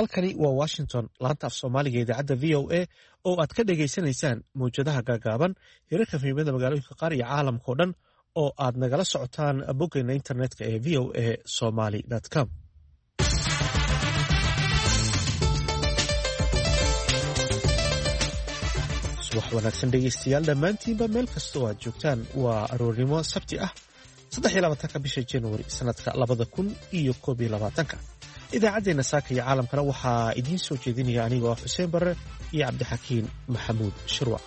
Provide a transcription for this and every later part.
Halkani waa Washington, laanta af Soomaaliga, idaacadda VOA oo aad ka dhagaysanaysaan mawjadaha gaagaaban, hirarka FM-yada magaalooyinka qaar iyo caalamkao dhan oo aad nagala socotaan boggeena internetka ee voasomali.com. Subax wanaagsan dhegeystayaal dhammaantiinba, meel kasta oo aad joogtaan. Waa aroornimo Sabti ah, 23-ka bisha Januari sanadka 2021-ka. Idaacaddeenna saaka iyo caalamkana waxaa idiin soo jeedinaya anigoo ah Xuseen Barre iyo Cabdixakiin Maxamuud Shirwac.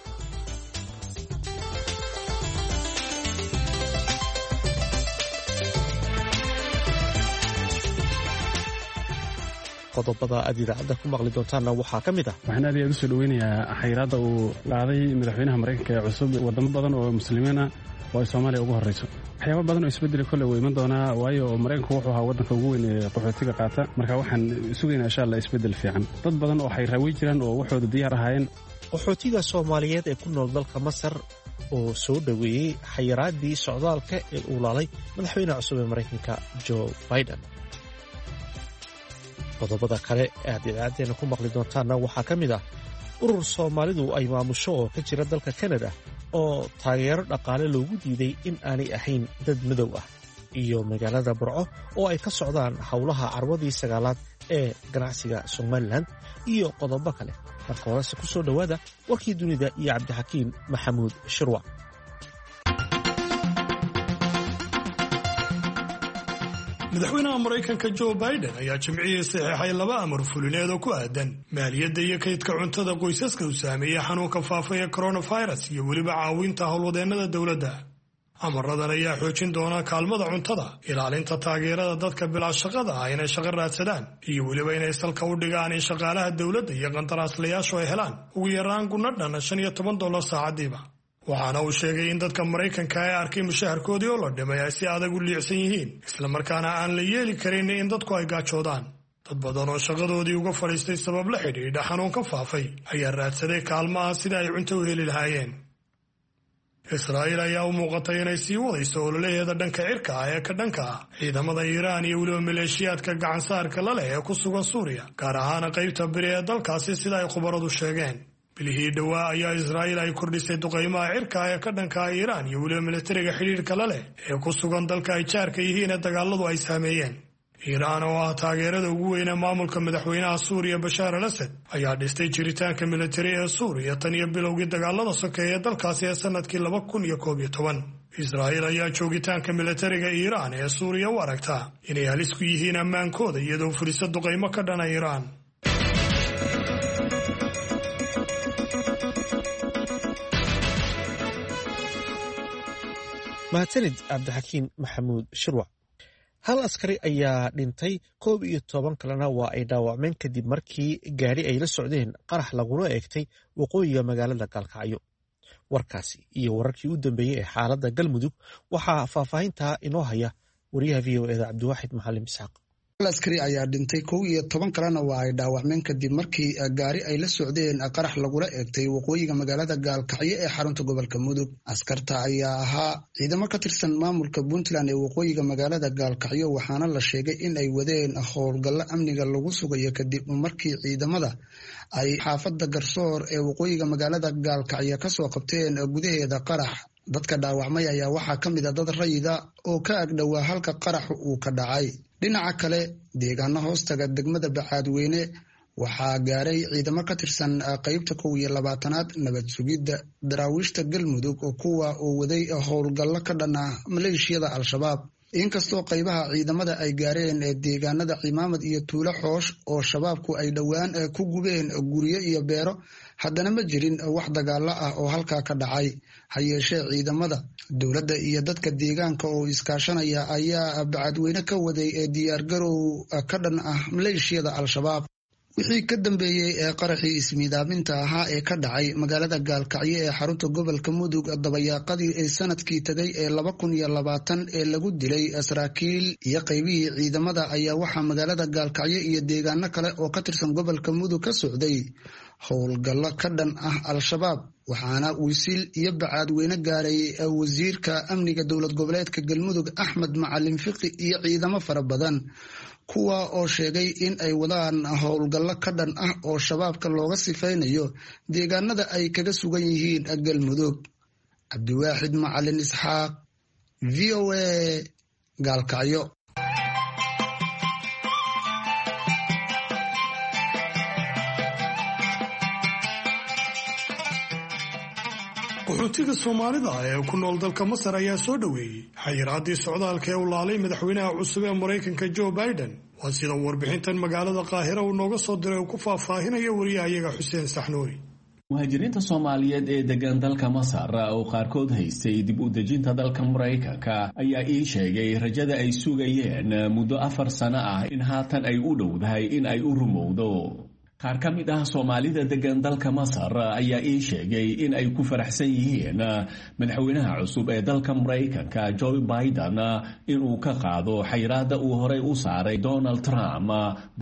Qodobada aad idaacadda ku maqli doontaanna waxaa ka mid ah: Waxaan aad iyo aad usoo dhoweynayaa xayiraadda uu qaaday madaxweynaha Maraykanka ee cusub wadamo badan oo muslimiin ah oo ay Soomaaliya ugu horrayso. Waxyaaba badan oo isbedeli kolle wuu iman doonaa, waayo Maraykanku wuxuu ahaa waddanka ugu weyn ee qaxootiga qaata. Marka waxaan sugaynaa, insha Allah, isbeddel fiican. Dad badan oo xayraawey jiraan oo waxooda diyaar ahaayeen. Qaxootiga Soomaaliyeed ee ku nool dalka Masar oo soo dhoweeyey xayiraaddii socdaalka ee uu laalay madaxweynaha cusub ee Maraykanka Joe Biden. Qodobada kale aad idaacaddeenna ku maqli doontaanna waxaa ka mid ah urur Soomaalidu ay maamusho oo ka jira dalka Kanada oo taageero dhaqaale loogu diiday in aanay ahayn dad madow ah, iyo magaalada Burco oo ay ka socdaan howlaha carwadii sagaalaad ee ganacsiga Somalilan, iyo qodobo kale. Marka horese ku soo dhowaada warkii dunida iyo Cabdixakiin Maxamuud Shirwac. Madaxweynaha Maraykanka Joe Biden ayaa Jimcihii saxeexay laba amar fulineed oo ku aadan maaliyadda iyo kaydka cuntada qoysaska uu saameeyey xanuunka faafa ee coronavirus iyo weliba caawinta howlwadeennada dowladda. Amaradan ayaa xoojin doona kaalmada cuntada, ilaalinta taageerada dadka bilaa shaqada ah inay shaqo raadsadaan, iyo weliba inay salka u dhigaan in shaqaalaha dowladda iyo qandaraaslayaashu ay helaan ugu yaraan gunno dhan $15 saacadiiba. Waxaana uu sheegay in dadka Maraykanka ee arkay mushaharkoodii oo la dhimay ay si adag u liicsan yihiin, islamarkaana aan la yeeli karin in dadku ay gaajoodaan. Dad badan oo shaqadoodii uga fadhiistay sabab la xidhiidha xanuunka faafay ayaa raadsaday kaalmaha sida ay cunto u heli lahaayeen. Israa'iil ayaa u muuqatay inay sii wadayso ololaheeda dhanka cirka ah ee ka dhanka ah ciidamada Iiraan iyo weliba maleeshiyaadka gacansaarka la leh ee ku sugan Suuriya, gaar ahaan qaybta biri ee dalkaasi, sida ay khubaradu sheegeen. Bilihii dhowaa ayaa Israa'iil ay kordhisay duqaymaha cirka ee ka dhanka ah Iiraan iyo weliba militariga xidhiidhka la leh ee ku sugan dalka ay jaarka yihiin ee dagaaladu ay saameeyeen. Iiraan oo ah taageerada ugu weyne maamulka madaxweynaha Suuriya Bashaar al Asad ayaa dhistay jiritaanka militari ee Suuriya tan iyo bilowgii dagaalada sokeeye ee dalkaasi ee sanadkii 2011. Israa'iil ayaa joogitaanka militariga Iiraan ee Suuriya u aragtaa inay halis ku yihiin ammaankooda, iyadoo furisa duqaymo ka dhana Iiraan. Mahadsanid Cabdixakiin Maxamuud Shirwac. Hal askari ayaa dhintay, 11 kalena waa ay dhaawacmeen kadib markii gaadhi ay la socdeen qarax lagula eegtay waqooyiga magaalada Gaalkacyo. Warkaasi iyo wararkii u dambeeyey ee xaaladda Galmudug waxaa faahfaahintaa inoo haya wariyaha VOA-da Cabdiwaaxid Maxalim Isxaaq. Hal askari ayaa dhintay, 11 kalena waa ay dhaawacmeen kadib markii gaari ay la socdeen qarax lagula eegtay waqooyiga magaalada Gaalkacyo ee xarunta gobolka Mudug. Askarta ayaa ahaa ciidamo ka tirsan maamulka Puntland ee waqooyiga magaalada Gaalkacyo, waxaana la sheegay in ay wadeen howlgallo amniga lagu sugayo kadib markii ciidamada ay xaafadda Garsoor ee waqooyiga magaalada Gaalkacyo kasoo qabteen gudaheeda qarax. Dadka dhaawacmay ayaa waxaa ka mid a dad rayida oo ka agdhowaa halka qaraxu uu ka dhacay. Dhinaca kale, deegaano hoostaga degmada Bacaadweyne waxaa gaaray ciidamo ka tirsan qeybta 21-aad nabad sugidda daraawiishta Galmudug, kuwa oo waday howlgallo ka dhan ah maleeshiyada Al-Shabaab. Inkastoo qaybaha ciidamada ay gaareen deegaanada Cimaamad iyo Tuulo Xoosh oo Shabaabku ay dhowaan ku gubeen guryo iyo beero, haddana ma jirin wax dagaalo ah oo halkaa ka dhacay. Ha yeeshee, ciidamada dowladda iyo dadka deegaanka oo iskaashanaya ayaa Bacadweyne ka waday diyaargarow ka dhan ah maleeshiyada Al-Shabaab. Wixii ka dambeeyey ee qaraxii ismiidaaminta ahaa ee ka dhacay magaalada Gaalkacyo ee xarunta gobolka Mudug dabayaaqadii ee sanadkii tagay ee 2020 ee lagu dilay saraakiil iyo qaybihii ciidamada ayaa waxaa magaalada Gaalkacyo iyo deegaano kale oo ka tirsan gobolka Mudug ka socday howlgallo ka dhan ah Al-Shabaab. Waxaana Wisiil iyo Bacaadweyne gaaray wasiirka amniga dowlad goboleedka Galmudug Axmed Macalin Fiqi iyo ciidamo fara badan, kuwa oo sheegay in ay wadaan howlgallo ka dhan ah oo shabaabka looga sifaynayo deegaanada ay kaga sugan yihiin Galmudug. Cabdiwaaxid Macalin Isxaaq, VOA, Gaalkacyo. Qaxootiga Soomaalida ee ku nool dalka Masar ayaa soo dhoweeyey xayiraaddii socdaalka ee u laalay madaxweynaha cusub ee Maraykanka Joe Biden. Waa sida warbixintan magaalada Qaahira uu nooga soo diray uu ku faahfaahinayo wariyahayaga Xuseen Saxnuuri. Muhaajiriinta Soomaaliyeed ee degan dalka Masar oo qaarkood haystay dib u dejinta dalka Maraykanka ayaa ii sheegay rajada ay sugayeen muddo 4 sano ah in haatan ay u dhowdahay in ay u rumowdo. Qaar ka mid ah Soomaalida degan dalka Masar ayaa ii sheegay in ay ku faraxsan yihiin madaxweynaha cusub ee dalka Maraykanka Joe Biden inuu ka qaado xayiraadda uu horey u saaray Donald Trump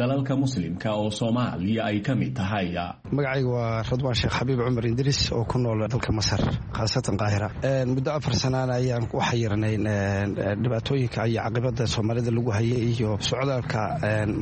dalalka Muslimka oo Soomaaliya ay ka mid tahay. Magacayga waa Radwaan Sheekh Xabiib Cumar Indriis oo ku nool dalka Masar, khaasatan Qaahira. Muddo 4 sanaan ayaan u xayirnay dhibaatooyinka iyo caqibada Soomaalida lagu hayay iyo socdaalka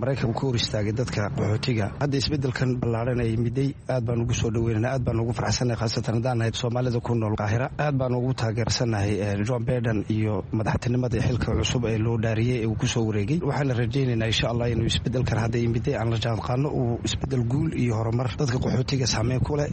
Maraykanka ku hor istaagay dadka qaxootiga. Hadda isbedelkan ballaaran ay miday aad baan ugu soo dhaweynana, aad baan ugu farxsannahay, khaasatan haddaan nahay Soomaalida ku nool Qaahira. Aad baan ugu taageersannahay John Biden iyo madaxtinimada xilka cusub ee loo dhaariyey ee uu kusoo wareegay. Waxaana rajaynaynaa, insha Allah, inuu isbedelkan hadda imiday aan la jaanqaano uu isbedel guul iyo horumar dadka qaxootiga saameyn ku leh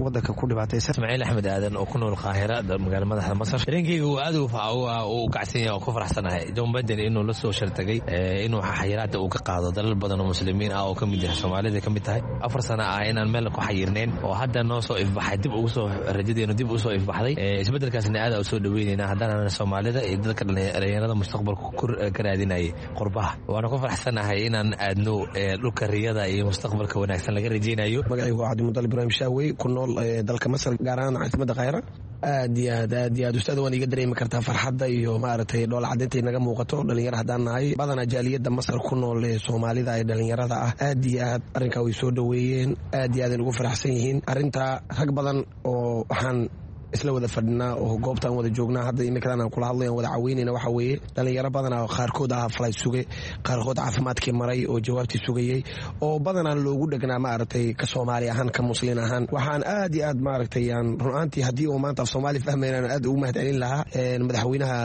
wadanka ku dhibaataysan. Ismaaciil Axmed Aadan oo ku nool Qaahira, magaala madaxda Masar. Dareenkeyga uu aad u kacsan yahay oo ku faraxsanahay John Biden inuu la soo shartagay inuu xayiraada uu ka qaado dalal badan oo Muslimiin ah oo ka mid yahay Soomaalida ka mid tahay. 4 sano ah inaan meel ku xayirnayn oo hadda noo soo ifbaxay, dib ugu soo rajadeenu dib usoo ifbaxday. Isbedelkaasna aad u soo dhaweynayna haddana Soomaalida iyo dadka dhalinyarada mustaqbalka ka raadinayay qurbaha. Waana ku faraxsanahay inaan aadno dhulka riyada iyo mustaqbalka wanaagsan laga rajaynayo. Magacaygu waa Cabdimudal Ibraahim Shaawey, ku nool dalka Masar, gaar ahaan caasimada Khayra. Aad iyo aad, aad iyo aad, ustaad, waan iga dareemi kartaa farxadda iyo maaragtay dhoola caddaynta inaga muuqato. Dhalinyaro haddaan nahay, badanaa jaaliyadda Masar ku nool ee Soomaalida ee dhalinyarada ah, aad iyo aad arrinkaa way soo dhoweeyeen, aad iyo aad ay ugu faraxsan yihiin arrintaa. Rag badan oo waxaan isla wada fadhinaa oo goobtaan wada joognaa hadda iminkadan aan kula hadlay aan wada caweynayna waxaa weeye dhalinyaro badanaa qaarkood ah falay suge, qaarkood caafimaadkii maray oo jawaabtii sugayey, oo badanaa loogu dhegnaa maaragtay ka Soomaali ahaan, ka Muslin ahaan. Waxaan aad iyo aad maaragtay aan run ahaantii haddii uu maanta af Soomaali fahmaynaan aad ugu mahadcelin lahaa madaxweynaha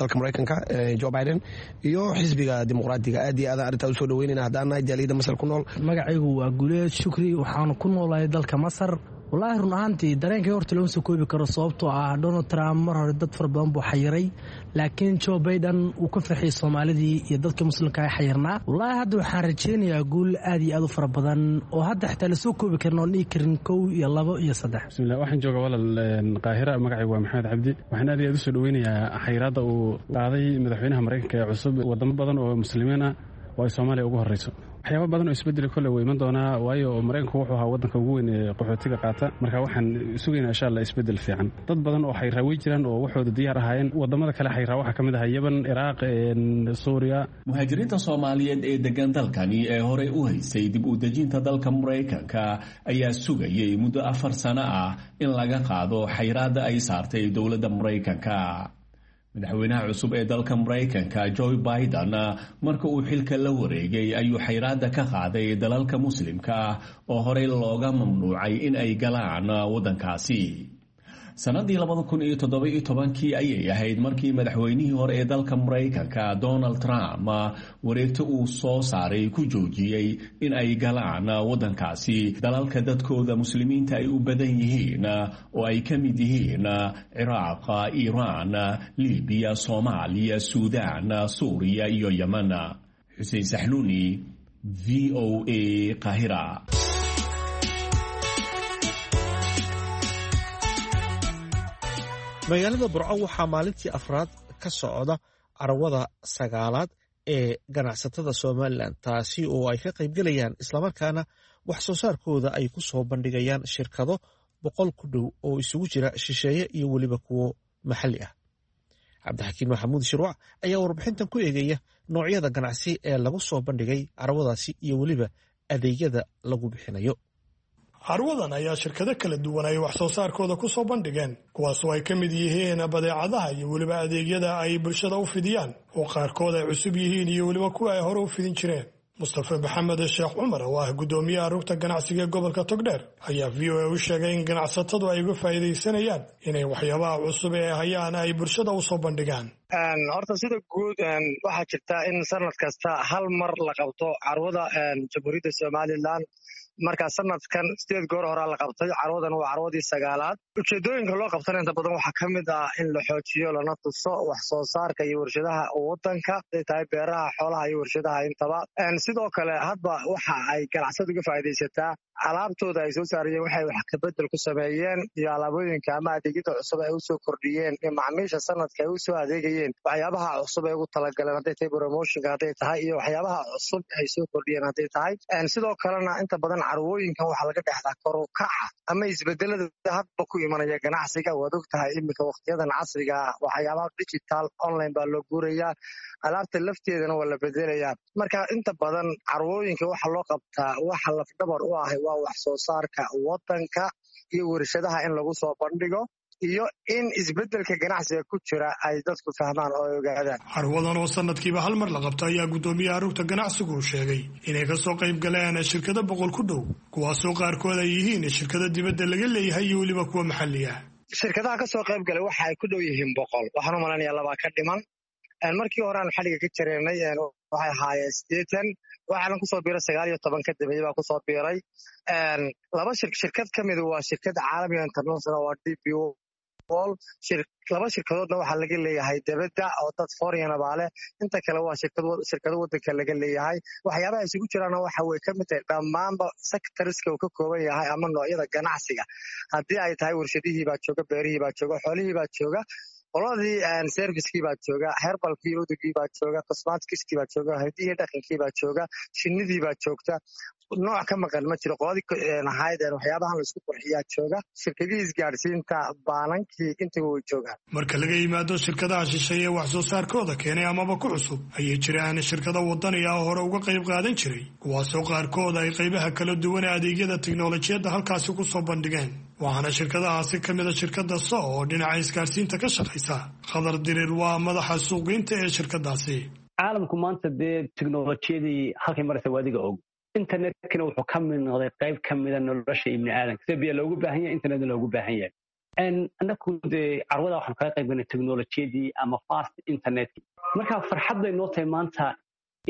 dalka Maraykanka Joe Biden iyo xisbiga Dimuqraadiga. Aad iyo aad arrintaa usoo dhaweynayna haddaan nahay jaaliyadda Masar ku nool. Magacaygu waa Guleed Shukri, waxaanu ku noolahay dalka Masar. Wallaahi, run ahaantii dareenkay horta looma soo koobi karo, sababtoo ah Donald Trump mar hore dad fara badan buu xayiray, laakiin Joe Biden uu ka farxiyey Soomaalidii iyo dadka Muslimka ay xayirnaa. Wallaahi, hadda waxaan rajaynayaa guul aad iyo aad u fara badan oo hadda xitaa lasoo koobi karin oon dhihi karin kow iyo labo iyo saddex. Bismillah, waxaan joogaa walaal Qaahira. Magacaygu waa Maxamed Cabdi. Waxaan aad iyo aad usoo dhaweynayaa xayiraadda uu qaaday madaxweynaha Maraykanka ee cusub wadamo badan oo Muslimiin ah oo ay Soomaaliya ugu horreyso. Waxyaaba badan oo isbedeli kole wuu iman doonaa, waayo Maraykanku wuxuu ahaa waddanka ugu weyn ee qaxootiga qaata. Marka waxaan sugaynaa, insha Allah, isbedel fiican. Dad badan oo xayraa wey jiraan oo waxooda diyaar ahaayeen. Wadamada kale xayraa waxaa ka mid ahaa Yemen, Ciraaq, Suuriya. Muhaajiriinta Soomaaliyeed ee degan dalkani ee horey u haysay dib u dejinta dalka Maraykanka ayaa sugayay muddo 4 sano ah in laga qaado xayraadda ay saartay dowladda Maraykanka. Madaxweynaha cusub ee dalka Maraykanka Joe Biden marka uu xilka la wareegay ayuu xayraadda ka qaaday dalalka Muslimka ah oo horey looga mamnuucay in ay galaan waddankaasi. Sannadii 2017-kii ayay ahayd markii madaxweynihii hore ee dalka Maraykanka Donald Trump wareegto uu soo saaray ku joojiyey in ay galaan waddankaasi dalalka dadkooda Muslimiinta ay u badan yihiin oo ay ka mid yihiin Ciraaq, Iiraan, Libiya, Soomaaliya, Suudaan, Suuriya iyo Yemen. Xuseen Saxnuuni, VOA, Qaahira. Magaalada Burco waxaa maalintii afraad ka socda carwada sagaalaad ee ganacsatada Somalilan, taasi oo ay ka qaybgelayaan islamarkaana wax soo saarkooda ay ku soo bandhigayaan shirkado 100 ku dhow oo isugu jira shisheeye iyo weliba kuwo maxalli ah. Cabdixakiin Maxamuud Shirwac ayaa warbixintan ku eegaya noocyada ganacsi ee lagu soo bandhigay carwadaasi iyo weliba adeegyada lagu bixinayo. Carwadan ayaa shirkado kala duwan ay wax soo saarkooda ku soo bandhigeen, kuwaasoo ay ka mid yihiin badeecadaha iyo weliba adeegyada ay bulshada u fidiyaan oo qaarkood ay cusub yihiin iyo weliba kuwa ay hore u fidin jireen. Mustafe Maxamed Sheekh Cumar oo ah guddoomiyaha rugta ganacsiga ee gobolka Togdheer ayaa VOA u sheegay in ganacsatadu ay uga faa'iidaysanayaan inay waxyaabaha cusub ee hayaan ay bulshada u soo bandhigaan. Horta sida guud waxaa jirta in sanad kasta hal mar la qabto carwada Jamhuuriyadda Somalilan. Marka sanadkan 8 goor horaa la qabtay, carwadan waa carwadii 9aad. Ujeedooyinka loo qabtana inta badan waxaa ka mid ah in la xoojiyo lana tuso wax soo saarka iyo warshadaha wadanka, haday tahay beeraha, xoolaha iyo warshadaha intaba. Sidoo kale hadba waxa ay ganacsadu uga faa'iidaysataa alaabtooda ay soo saarayeen, waxay wax kabedel ku sameeyeen iyo alaabooyinka ama adeegyada cusub ay usoo kordhiyeen iyo macmiisha sanadka ay usoo adeegayeen, waxyaabaha cusub ay ugu talagaleen hadday tahay promotionka hadday tahay iyo waxyaabaha cusub ay soo kordhiyeen hadday tahay. Sidoo kalena inta badan carwooyinkan waxaa laga dhexdaa kor u kaca ama isbedelada hadba ku imanaya ganacsiga. Waad og tahay iminka waqtiyadan casriga waxyaabaha digital online baa loo guurayaa, alaabta lafteedana waa la bedelayaa. Marka inta badan carwooyinka waxa loo qabtaa waxa lafdhabar u ah waa wax soo saarka wadanka iyo warshadaha in lagu soo bandhigo iyo in isbedelka ganacsiga ku jira ay dadku fahmaan oo ay ogaadaan. Carwadan oo sanadkiiba hal mar la qabto ayaa guddoomiyaha rugta ganacsigu uu sheegay inay ka soo qayb galeen shirkado 100 ku dhow, kuwaasoo qaarkood ay yihiin shirkado dibadda laga leeyahay iyo weliba kuwa maxalli ah. Shirkadaha ka soo qayb galay waxa ay ku dhow yihiin 100, waxaan u malanayaa 2 ka dhiman. Markii hore aan xadhiga ka jareynay waxay ahaayeen 80, waxaana kusoo biiray 19 ka dambeeyey baa kusoo biiray. Laba shirkad ka mid waa shirkad caalamiga international waa DP World. Laba shirkadoodna waxaa laga leeyahay debadda oo dad foreign baa leh, inta kale waa shirkado wadanka laga leeyahay. Waxyaabaha isugu jiraana waxa way ka mid tahay dhammaanba sectorska uu ka kooban yahay ama noocyada ganacsiga. Haddii ay tahay warshadihii baa jooga, beerihii baa jooga, xoolihii baa jooga, qoladii servicekii baa jooga, herbalkii udugii baa jooga, cosmetickii baa jooga, hidihii dhaqankii baa jooga, shinnidii baa joogta. Nooc ka maqan ma jiro. Qoladii ahayd waxyaabahan la isku qurxiyaa jooga, shirkadihii isgaadhsiinta, baanankii, intaba way joogaan. Marka laga yimaado shirkadaha shisheeye wax soo saarkooda keenay amaba ku cusub, ayay jiraan shirkado wadani ah oo hore uga qayb qaadan jiray, kuwaasoo qaarkood ay qaybaha kala duwan ee adeegyada tiknolojiyadda halkaasi ku soo bandhigeen. Waxaana shirkadahaasi ka mid a shirkadda So oo dhinaca isgaadhsiinta ka shaqaysa. Khadar Diriir waa madaxa suuqgeynta ee shirkadaasi. Caalamku maanta dee tiknolojiyadii halkay maraysa waa adiga og. Internetkina wuxuu ka mid noqday qayb ka mida nolosha ibni aadamka. Sida biyo loogu baahan yahay, internetna loogu baahan yahay. Annaku dee carwada waxaanu kaga qayb galnay teknolojiyadii ama fast internetkii. Marka farxad bay noo tahay maanta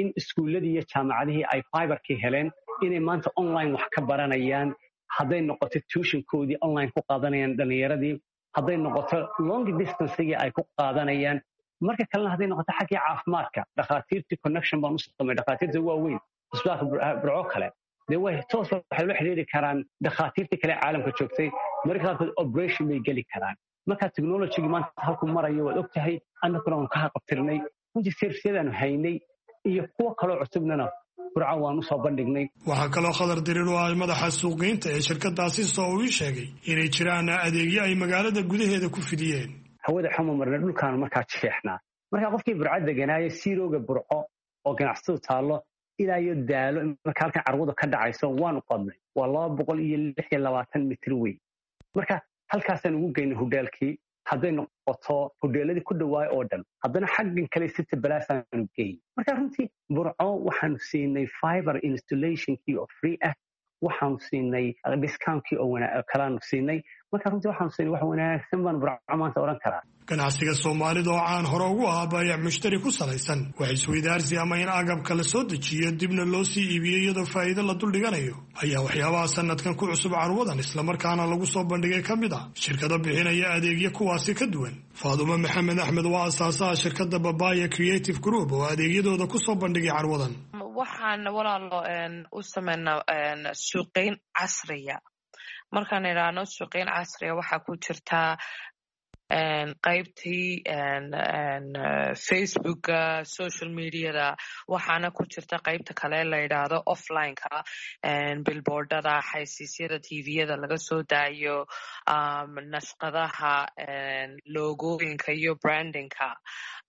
in iskuulladii iyo jaamacadihii ay fiberkii heleen, inay maanta online wax ka baranayaan, hadday noqoto tuitionkoodii online ku qaadanayaan dhallinyaradii, hadday noqoto long distancegii ay ku qaadanayaan. Marka kalena hadday noqoto xaggii caafimaadka, dhakhaatiirtii connection baan u samay, dhakhaatiirta waaweyn isbitaalka Burco kale dee way toos waxay ula xiriiri karaan dhakhaatiirtii kale caalamka joogtay, mararka qaarkood operation bay geli karaan. Marka technologygii maanta halku marayo waad og tahay, annaguna waanu ka haqabtirnay runtii servisyadaanu haynay iyo kuwo kaloo cusubnana Burco waan usoo bandhignay. Waxaa kaloo Khadar Diriir oo ah madaxa suuqgeynta ee shirkadaasi soo uu ii sheegay inay jiraan adeegyo ay magaalada gudaheeda ku fidiyeen. Hawada xuma marna dhulkaanu markaa jeexnaa. Marka qofkii Burco deganaayo siirooga Burco oo ganacsatadu taallo ilaa iyo Daalo, marka halkan carwadu ka dhacayso waanu qodnay, waa 226 mitir weyn. Marka halkaasaan ugu geynay hudheelkii, hadday noqoto hudheeladii ku dhawaay oo dhan, haddana xaggan kale City Palace-aanu geyn. Marka runtii Burco waxaanu siinay fiber installationkii oo free ah, waxaanu siinay discountkii oo kalaanu siinay. Marka runtii waxaanu siinay wax wanaagsan baan Burco maanta odhan karaa. Ganacsiga Soomaalida oo caan hore ugu ahaa baayac mushtari ku salaysan wax isweydaarsi ama in agabka la soo dejiyo dibna loo sii iibiyo iyadoo faa'iido la duldhiganayo ayaa waxyaabaha sanadkan ku cusub carwadan islamarkaana lagu soo bandhigay ka mid ah shirkado bixinaya adeegyo kuwaasi ka duwan. Faadumo Maxamed Axmed waa asaasaha shirkadda Babaya Creative Group oo adeegyadooda ku soo bandhigay carwadan. Waxaan walaalo u sameynaa suuqeyn casriya. Markaan idhaahno suuqeyn casriya waxaa ku jirtaa qaybtii Facebooka, social mediada, waxaana ku jirta qaybta kale la yidhaahdo offlineka, billboardada, xaysiisyada tviyada laga soo daayo, nashqadaha, logooyinka iyo brandingka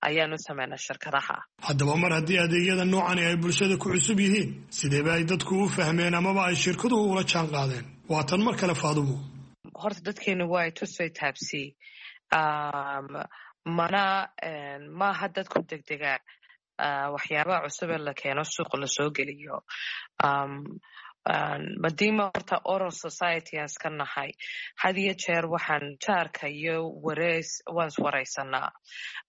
ayaanu sameynaa shirkadaha. Haddaba mar haddii adeegyada noocani ay bulshada ku cusub yihiin, sideeba ay dadku u fahmeen amaba ay shirkaduhu ula jaan qaadeen? Waa tan mar kale Faadumo. Horta dadkeenu waa tusay taabsi, mana maaha dad ku degdega waxyaabaha cusub ee la keeno suuqa lasoo geliyo. Madiima horta oral society aan iska nahay, had iyo jeer waxaan jaarka iyo wareys waan iswareysanaa.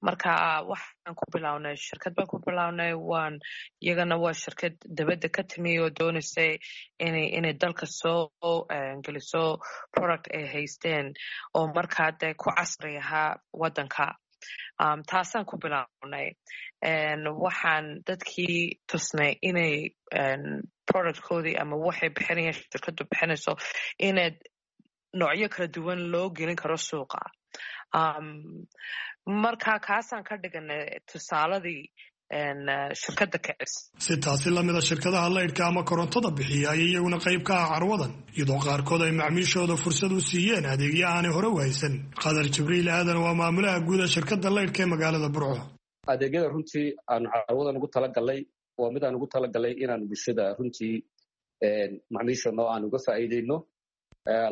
Marka waxaan ku bilownay shirkad baan ku bilownay, waan iyagana waa shirkad dabadda ka timi oo doonaysay inay dalka soo geliso product ay haysteen oo markaa dee ku casri ahaa waddanka. Taasaan ku bilownay. Waxaan dadkii tusnay inay productkoodii ama waxay bixinayaan shirkadu bixinayso inaad noocyo kala duwan loo gelin karo suuqa. Marka kaasaan ka dhiganay tusaaladii shirkadda kicis. Si taasi lamida shirkadaha laydhka ama korontada bixiya ayay iyaguna qayb ka ah carwadan, iyadoo qaarkood ay macmiishooda fursad u siiyeen adeegyo aanay hore u haysan. Qadar Jibriil Aadan waa maamulaha guud ee shirkadda laydhka ee magaalada Burco. Adeegyada runtii aanu carwadan ugu talagalnay waa mid aan ugu talagalnay inaan bulshada runtii macmiishana oo aan uga faa'iideyno.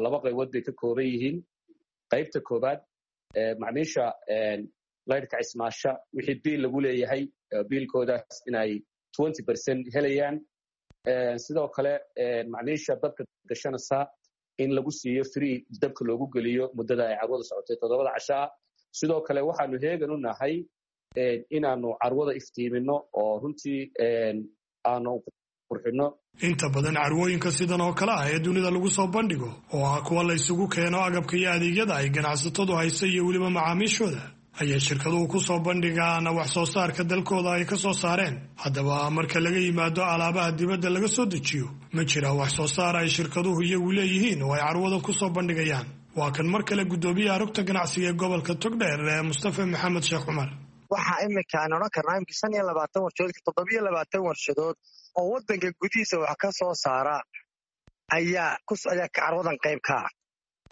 Laba qaybood bay ka kooban yihiin. Qaybta koobaad, macmiisha laydhka cismaasha wixii biil lagu leeyahay biilkoodaas inay 20% helayaan. Sidoo kale macmiisha dabka gashanaysa in lagu siiyo free dabka loogu geliyo muddada ay carwada socotay 7da cashaa. Sidoo kale waxaanu heegan u nahay inaanu carwada iftiimino oo runtii aanu qurxino. Inta badan carwooyinka sidan oo kale ah ee dunida lagu soo bandhigo oo ah kuwa la isugu keeno agabka iyo adeegyada ay ganacsatadu hayso iyo weliba macaamiishooda ayay shirkaduhu ku soo bandhigaan wax soo saarka dalkooda ay ka soo saareen. Haddaba marka laga yimaado alaabaha dibadda laga soo dejiyo, ma jiraan wax soo saar ay shirkaduhu iyagu leeyihiin oo ay carwadan ku soo bandhigayaan? Waa kan mar kale guddoomiyaha rugta ganacsiga ee gobolka Togdheer ee Mustafa Maxamed Sheekh Cumar. Waxaa iminka aan odhan karnaa imika 25 warshadood, 27 warshadood oo waddanka gudihiisa wax ka soo saara ayaa carwadan qayb ka ah,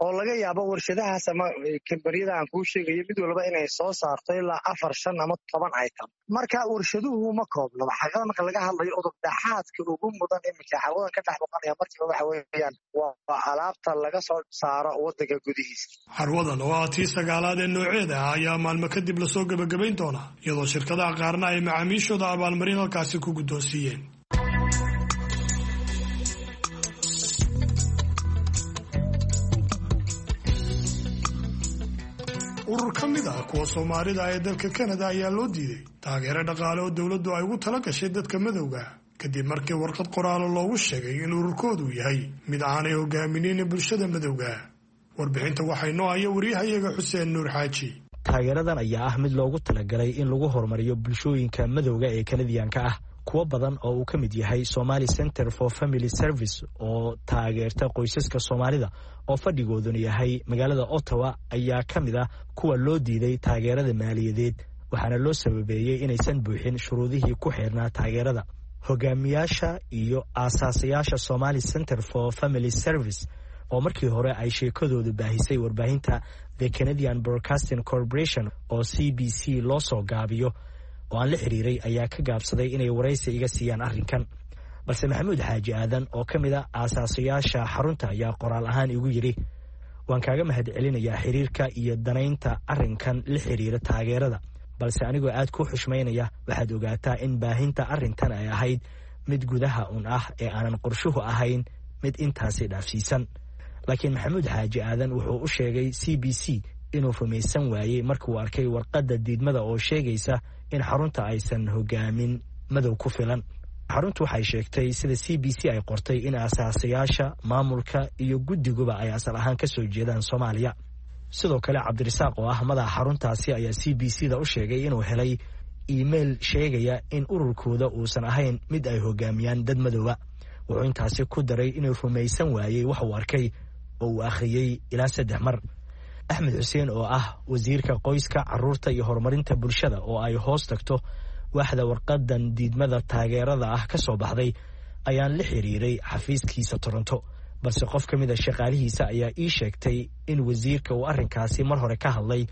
oo laga yaabo warshadahaas ama kambaniyada aan kuu sheegayo mid walba inay soo saarto ilaa 4, 5 ama 10 item. Marka warshaduhu ma koobno. Xaqiiqada marka laga hadlayo, udub dhaxaadka ugu mudan iminka carwadan ka dhex muuqanaya markiiba waxa weeyaan waa alaabta laga soo saaro waddanka gudihiisa. Carwadan oo ah tii sagaalaad ee nooceeda ah ayaa maalmo kadib lasoo gebagabayn doonaa, iyadoo shirkadaha qaarna ay macaamiishooda abaalmarin halkaasi ku guddoonsiiyeen. Urur ka mid ah kuwa Soomaalida ee dalka Kanada ayaa loo diiday taageero dhaqaale oo dowladdu ay ugu tala gashay dadka madowga, kadib markii warqad qoraalo loogu sheegay in ururkoodu yahay mid aanay hogaaminin bulshada madowga. Warbixinta waxay noo haya wariyahayaga Xuseen Nuur Xaaji. Taageeradan ayaa ah mid loogu talagalay in lagu horumariyo bulshooyinka madowga ee Kanadiyaanka ah, kuwo badan oo uu ka mid yahay Somali Center for Family Service oo taageerta qoysaska Soomaalida oo fadhigooduna yahay magaalada Ottawa ayaa ka mid ah kuwa loo diiday taageerada maaliyadeed, waxaana loo sababeeyey inaysan buuxin shuruudihii ku xeernaa taageerada. Hogaamiyaasha iyo aasaasayaasha Somali Center for Family Service oo markii hore ay sheekadoodu baahisay warbaahinta The Canadian Broadcasting Corporation oo CBC loo soo gaabiyo oo aan la xiriiray ayaa ka gaabsaday inay waraysi iga siiyaan arrinkan. Balse Maxamuud Xaaji Aadan oo ka mid a aasaasayaasha xarunta ayaa qoraal ahaan igu yidhi: "Waan kaaga mahadcelinayaa xiriirka iyo danaynta arrinkan la xiriira taageerada, balse anigoo aad ku xushmaynaya waxaad ogaataa in baahinta arrintan ay ahayd mid gudaha un ah ee aanan qorshuhu ahayn mid intaasi dhaafsiisan." Laakiin Maxamuud Xaaji Aadan wuxuu u sheegay CBC inuu rumaysan waayey markuu arkay warqadda diidmada oo sheegaysa in xarunta aysan hogaamin madow ku filan. Xaruntu waxay sheegtay, sida CBC ay qortay, in aasaasayaasha, maamulka iyo guddiguba ay asal ahaan ka soo jeedaan Soomaaliya. Sidoo kale Cabdirasaaq oo ah madaxa xaruntaasi ayaa CBC da u sheegay inuu helay iimayl sheegaya in ururkooda uusan ahayn mid ay hogaamiyaan dad madooba. Wuxuu intaasi ku daray inuu rumaysan waayey wax uu arkay oo uu akhriyey ilaa 3 mar. Axmed Xuseen oo ah wasiirka qoyska, caruurta iyo horumarinta bulshada oo ay hoos tagto waaxda warqadan diidmada taageerada ah ka soo baxday ayaan la xiriiray xafiiskiisa Toronto, balse qof ka mid a shaqaalihiisa ayaa ii sheegtay in wasiirka uu arrinkaasi mar hore ka hadlay,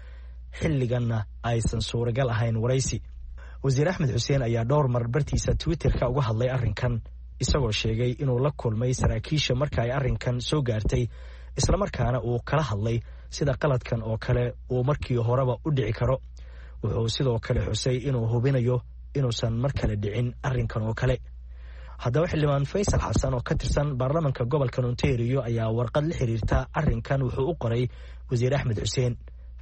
xilliganna aysan suuragal ahayn waraysi. Wasiir Axmed Xuseen ayaa dhowr mar bartiisa Twitterka uga hadlay arrinkan. isagoo sheegay inuu la kulmay saraakiisha marka ay arrinkan soo gaartay, islamarkaana uu kala hadlay sida qaladkan oo kale uu markii horeba u dhici karo. Wuxuu sidoo kale xusay inuu hubinayo inuusan mar kale dhicin arrinkan oo kale. Haddaba xildhibaan Faysal Xasan oo ka tirsan baarlamanka gobolka Ontario ayaa warqad la xiriirta arrinkan wuxuu u qoray wasiir Axmed Xuseen.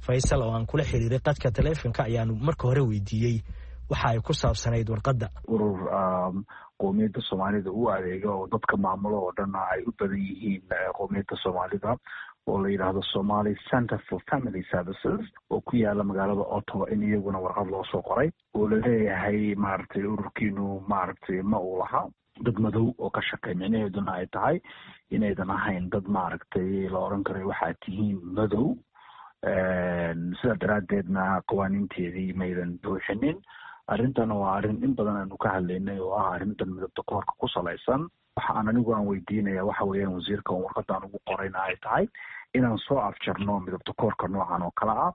Faysal oo aan kula xiriiray qadka taleefonka ayaanu marka hore weydiiyey waxa ay ku saabsanayd warqadda. Urur qowmiyadda Soomaalida u adeega oo dadka maamulo oo dhanna ay u badan yihiin qowmiyadda Soomaalida, oo la yidhaahdo Somali Center for Family Services, oo ku yaala magaalada Ottawa, in iyaguna warqad loo soo qoray oo laleeyahay maaragtay ururkiinu maaragtay ma uu laha dad madow oo ka shaqey, micnaheeduna ay tahay inaydan ahayn dad maaragtay la oran karay waxaad tihiin madow, sidaa daraaddeedna qawaaniinteedii maydan buuxinin. Arrintana waa arrin in badan aanu ka hadlaynay oo ah arrintan midabta koorka ku salaysan. Waxa aan anigu aan weydiinaya waxa weeyaan wasiirka on warqadaan ugu qorayna ay tahay inaan soo afjarno midabta koorka noocan oo kale ah,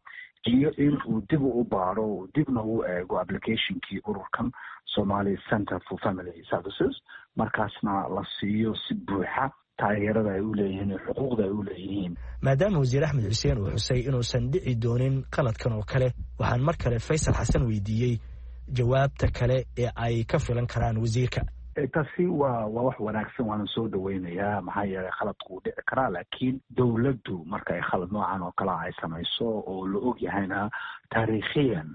iyo in uu dib u baaro, uu dibna u eego applicationkii ururkan Somali Center for Family Services, markaasna la siiyo si buuxa taageerada ay u leeyihiin iyo xuquuqda ay u leeyihiin. Maadaama wasiir Axmed Xuseen uu xusay inuusan dhici doonin qaladkan oo kale, waxaan mar kale Faysal Xasan weydiiyey jawaabta kale ee ay ka filan karaan wasiirka. Taasi waa wax wanaagsan, waana soo dhaweynayaa, maxaa yeelay khaladku wuu dhici karaa, laakiin dowladdu marka ay khalad noocan oo kale ay samayso oo la og yahayna taariikhiyan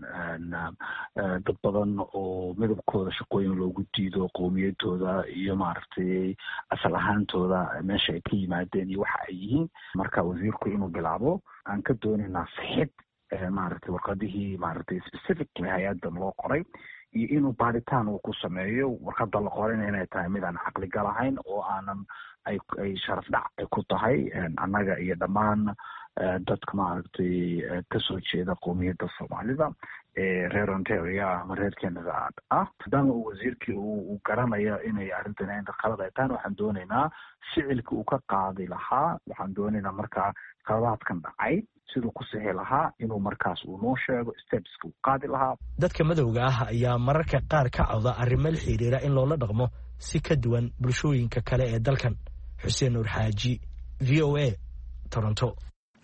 dad badan oo midabkooda shaqooyin loogu diido, qowmiyadooda iyo maaragtay asal ahaantooda, meesha ay ka yimaadeen iyo waxa ay yihiin. Marka wasiirku inuu bilaabo aan ka doonaynaa sixid maaragtay warqadihii maaragtay specifically hay-adan loo qoray, iyo inuu baaritaan uu ku sameeyo warqada la qorayna inay tahay mid aan caqligal ahayn oo aanan ay sharaf dhac ay ku tahay annaga iyo dhammaan dadka maaragtay kasoo jeeda qowmiyadda Soomaalida ee reer Ontario ama reer Canada ah. Maadaama uu wasiirkii uu garanayo inay arrintan inta khalad ay tahan, waxaan doonaynaa ficilkii uu ka qaadi lahaa. Waxaan doonaynaa markaa khaladaadkan dhacay siduu ku sixi lahaa inuu markaas uu noo sheego stepska uu qaadi lahaa. Dadka madowga ah ayaa mararka qaar ka cawda arrimo la xiriira in loola dhaqmo si ka duwan bulshooyinka kale ee dalkan. Xuseen Nuur Xaaji, VOA, Toronto.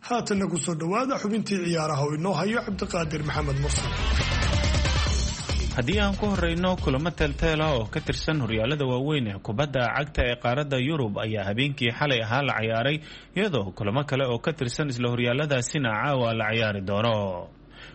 Haatanna ku soo dhowaada xubintii ciyaaraha oo inoo hayo Cabdiqaadir Maxamed Mursal. Haddii aan ku horeyno, kulamo teelteela oo ka tirsan horyaalada waaweyn ee kubadda cagta ee qaaradda Yurub ayaa habeenkii xalay ahaa la ciyaaray, iyadoo kulamo kale oo ka tirsan isla horyaaladaasina caawa la ciyaari doono.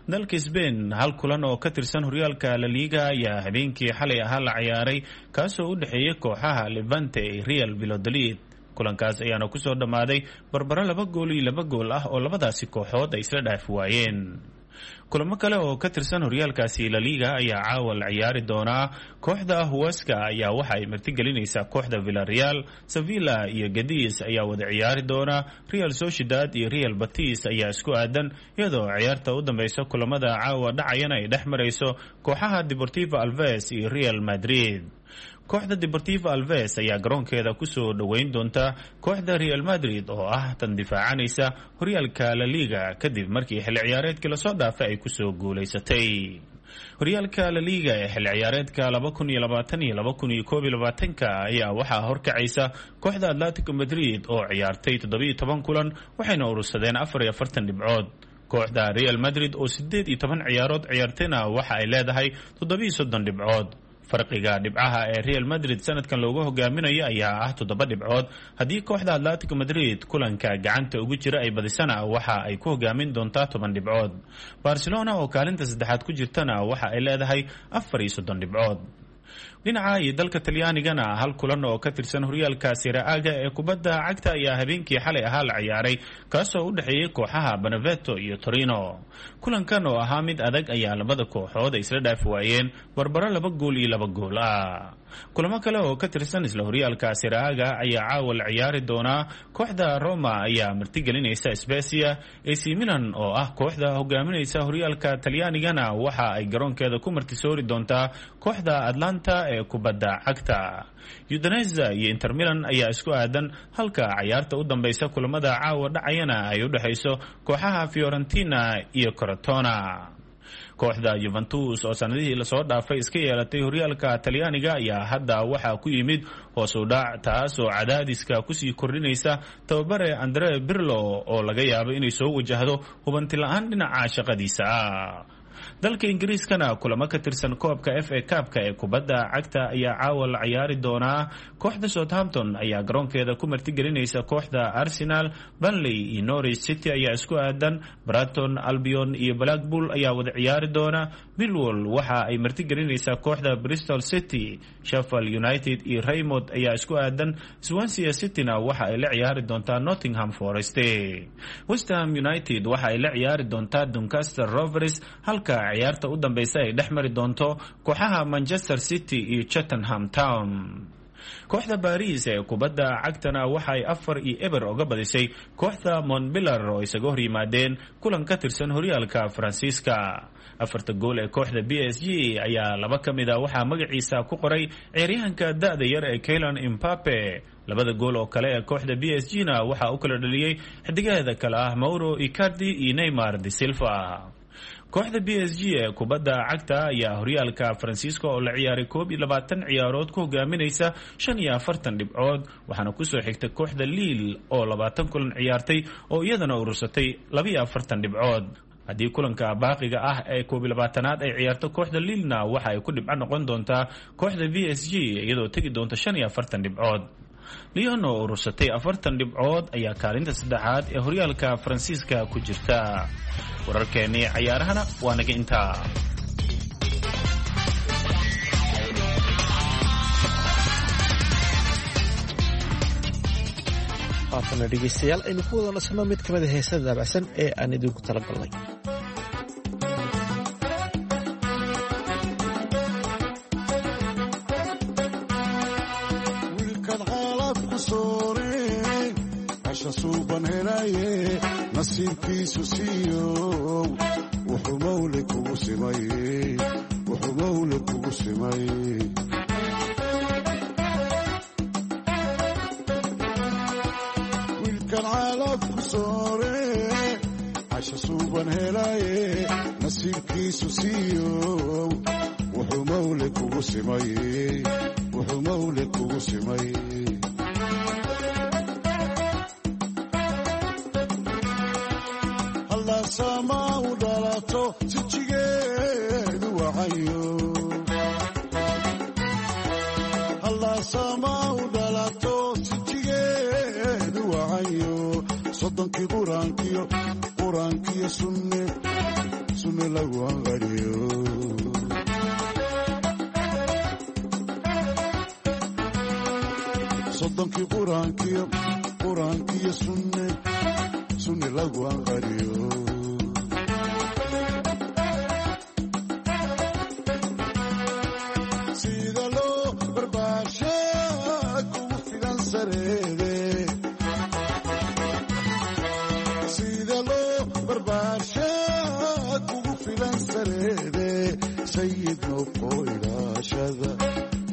Dalka Sbain, hal kulan oo ka tirsan horyaalka Laliga ayaa habeenkii xalay ahaa la ciyaaray, kaasoo u dhexeeyay kooxaha Levante ee Real Valladolid. Kulankaas ayaana kusoo dhammaaday barbaro 2 gool iyo 2 gool ah oo labadaasi kooxood ay isla dhaafi waayeen. Kulamo kale oo ka tirsan horyaalkaasi Laliga ayaa caawa la ciyaari doonaa. Kooxda Huaska ayaa waxa ay martigelinaysaa kooxda Villareal. Sevilla iyo Gadiis ayaa wada ciyaari doona. Real Sociedad iyo Real Batis ayaa isku aadan, iyadoo ciyaarta u dambeysa kulamada caawa dhacayana ay dhex marayso kooxaha Deportivo Alves iyo Real Madrid. Kooxda Deportivo Alves ayaa garoonkeeda kusoo dhoweyn doonta kooxda Real Madrid oo ah tan difaacanaysa horyaalka La Liga, kadib markii xilli ciyaareedkii lasoo dhaafay ay kusoo guulaysatay horyaalka La Liga ee xilli ciyaareedka 2020 iyo 2021-ka. Ayaa waxaa horkacaysa kooxda Atletico Madrid oo ciyaartay 17 kulan, waxayna urursadeen 44 dhibcood. Kooxda Real Madrid oo 18 ciyaarood ciyaartayna waxa ay leedahay 37 dhibcood. Farqiga dhibcaha ee Real Madrid sanadkan loogu hogaaminayo ayaa ah 7 dhibcood. Haddii kooxda Atletico Madrid kulanka gacanta ugu jira ay badisana, waxa ay ku hogaamin doontaa 10 dhibcood. Barcelona oo kaalinta saddexaad ku jirtana waxa ay leedahay 34 dhibcood. Dhinaca iyo dalka Talyaanigana, hal kulan oo ka tirsan horyaalka Serie A-ga ee kubadda cagta ayaa habeenkii xalay ahaa la ciyaaray, kaasoo u dhexeeyey kooxaha Benevento iyo Torino. Kulankan oo ahaa mid adag ayaa labada kooxood ay isla dhaafi waayeen barbaro 2 gool iyo 2 gool ah. Kulamo kale oo ka tirsan isla horyaalka Serie A-ga ayaa caawa la ciyaari doonaa. Kooxda Roma ayaa martigelinaysa Spezia. AC Milan oo ah kooxda hogaaminaysa horyaalka Talyaanigana waxa ay garoonkeeda ku martisoori doontaa kooxda Atlanta ee kubadda cagta. Udinese iyo Inter Milan ayaa isku aadan, halka cayaarta u dambeysa kulamada caawa dhacayana ay u dhexayso kooxaha Fiorentina iyo Crotone. Kooxda Juventus oo sanadihii lasoo dhaafay iska yeelatay horyaalka Talyaaniga ayaa hadda waxaa ku yimid hoos u dhac, taasoo cadaadiska kusii kordhinaysa tababare Andre Pirlo oo laga yaabo inay soo wajahdo hubanti la-aan dhinaca shaqadiisa ah. Dalka Ingiriiskana kulamo ka tirsan koobka FA Cup-ka ee kubadda cagta ayaa caawa la ciyaari doonaa. Kooxda Southampton ayaa garoonkeeda ku martigelinaysa kooxda Arsenal. Burnley iyo Norwich City ayaa isku aadan. Brighton Albion iyo Blackpool ayaa wada ciyaari doona. Millwall waxa ay martigelinaysaa kooxda Bristol City. Sheffield United iyo Reymond ayaa isku aadan. Swansea Cityna waxa ay la ciyaari doontaa Nottingham Forest. West Ham United waxa ay la ciyaari doontaa Doncaster Rovers, halka ciyaarta u dambeysa ay dhex mari doonto kooxaha Manchester City iyo Cheltenham Town. Kooxda Baris ee kubadda cagtana waxa ay 4-0 oga badisay kooxda Montpellier oo isaga hor yimaadeen kulan ka tirsan horyaalka Faransiiska. Afarta gool ee kooxda PSG ayaa laba ka mid a waxaa magaciisa ku qoray ciyaaryahanka da'da yar ee Kylian Mbappe. Labada gool oo kale ee kooxda PSG na waxaa u kala dhaliyey xidigaheeda kale ah Mauro Icardi iyo Neymar da Silva. Kooxda PSG ee kubadda cagta ayaa horyaalka Faransiiska oo la ciyaaray 21 ciyaarood ku hogaaminaysa 45 dhibcood, waxaana kusoo xigta kooxda Lille oo 20 kulan ciyaartay oo iyadana urursatay 42 dhibcood. Haddii kulanka baaqiga ah ee 21aad ay ciyaarto kooxda Lillena, waxa ay ku dhibco noqon doontaa kooxda PSG iyadoo tegi doonta 45 dhibcood. Lyon oo urursatay 40 dhibcood ayaa kaalinta saddexaad ee horyaalka Faransiiska ku jirta. Wararkeennii cayaarahana waa naga intaa. Haatana dhegeystayaal, aynu ku wada nasanno mid ka mid a heesada daabacsan ee aan idinku talagalnay. Wiilkan xaalad ku sooreen casha suuban helaye, nasiibkiisu siiyow wuxuu mawle kugu simay, wuxuu mawle kugu simay. Wiilkan caalaf ku soore casha suuban helaye, nasiibkiisu siiyow wuxuu mawle kugu simay, wuxuu mawle kugu simay. Sama u dhalato sijigeedu wacayo, hallaasama u dhalato sijigeedu wacayo, soddonkii quraankiyo quraankiyo sunne sunne lagu anqariyo. Soddonkii quraankiyo quraankiyo sunne sunne lagu anqariyo. Sida loo barbaashaa kugu filan sareede, sida loo barbaashaa kugu filan sareede, sayid noqo ilaashada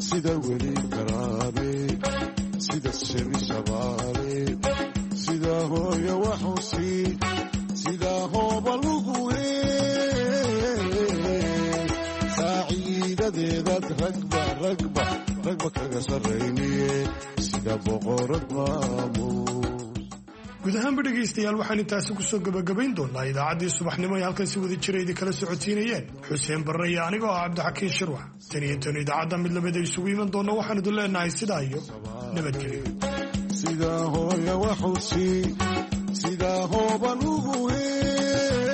sida weli karaabe, sida shebi shabaale, sida hooyo waxusi, sida hooba lugu hees, saaciidadeedaad ragba ragba ragba kaga sarrayniye, sida boqorad maamuus. Guud ahaanba dhegaystayaal, waxaan intaasi kusoo gebagabayn doonaa idaacaddii subaxnimo ay halkan si wada jira idin kala socodsiinayeen Xuseen Barre iyo anigoo ah Cabdixakiin Shirwax. Tan iyo tan idaacadda mid lamida isugu iman doonna, waxaan idin leenahay sidaa iyo nabadgelyo. Sida hooya waxusi, sida hooban ugu hees,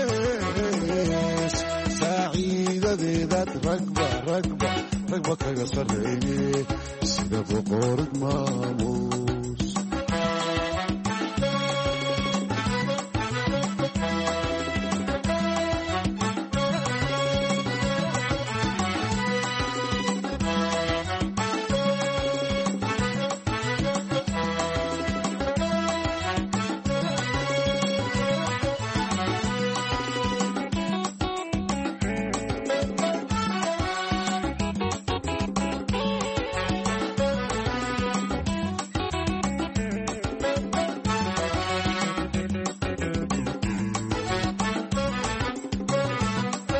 saaciidadeedaad ragba ragba ragba kaga sarrayne, sida boqorad maamuus.